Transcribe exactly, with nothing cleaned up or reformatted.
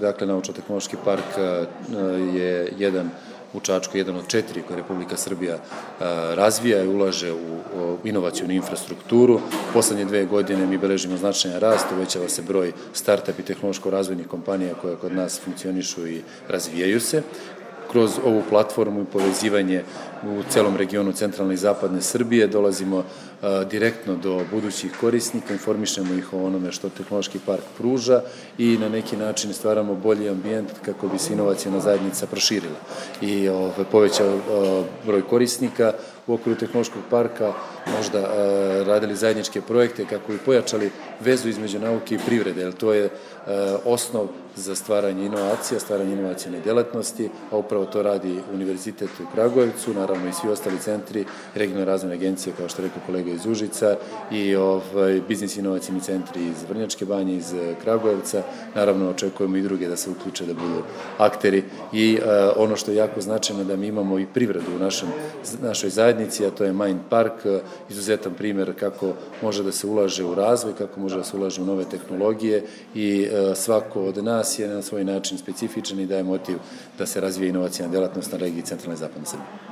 dakle, Naučno-tehnološki park je jedan u Čačku, jedan od četiri koje Republika Srbija razvija i ulaže u inovacijonu infrastrukturu. Poslednje dve godine mi beležimo značajan rast, uvećava se broj start-up i tehnološko-razvojnih kompanija koje kod nas funkcionišu i razvijaju se. Kroz ovu platformu i povezivanje u celom regionu centralne i zapadne Srbije dolazimo direktno do budućih korisnika, informišemo ih o onome što tehnološki park pruža i na neki način stvaramo bolji ambijent kako bi se inovacijna zajednica proširila i povećao broj korisnika u okviru tehnološkog parka, možda radili zajedničke projekte kako bi pojačali vezu između nauke i privrede, jer to je osnov za stvaranje inovacija, stvaranje inovacijne delatnosti, a upravo to radi Univerzitet u Kragujevcu, naravno i svi ostali centri, regionalne razvojne agencije, kao što je rekao kolega iz Užica, i biznis inovacijni centri iz Vrnjačke Banje, iz Kragujevca. Naravno, očekujemo i druge da se uključe, da budu akteri. I ono što je jako značajno da mi imamo i privredu u našoj zajednici, a to je Mind Park, izuzetan primer kako može da se ulaže u razvoj, kako može da se ulaže u nove tehnologije i svako od nas je na svoj način specifičan i daje motiv da se razvije inovacijna delatnost na regiji centralne i zapadne Srbije.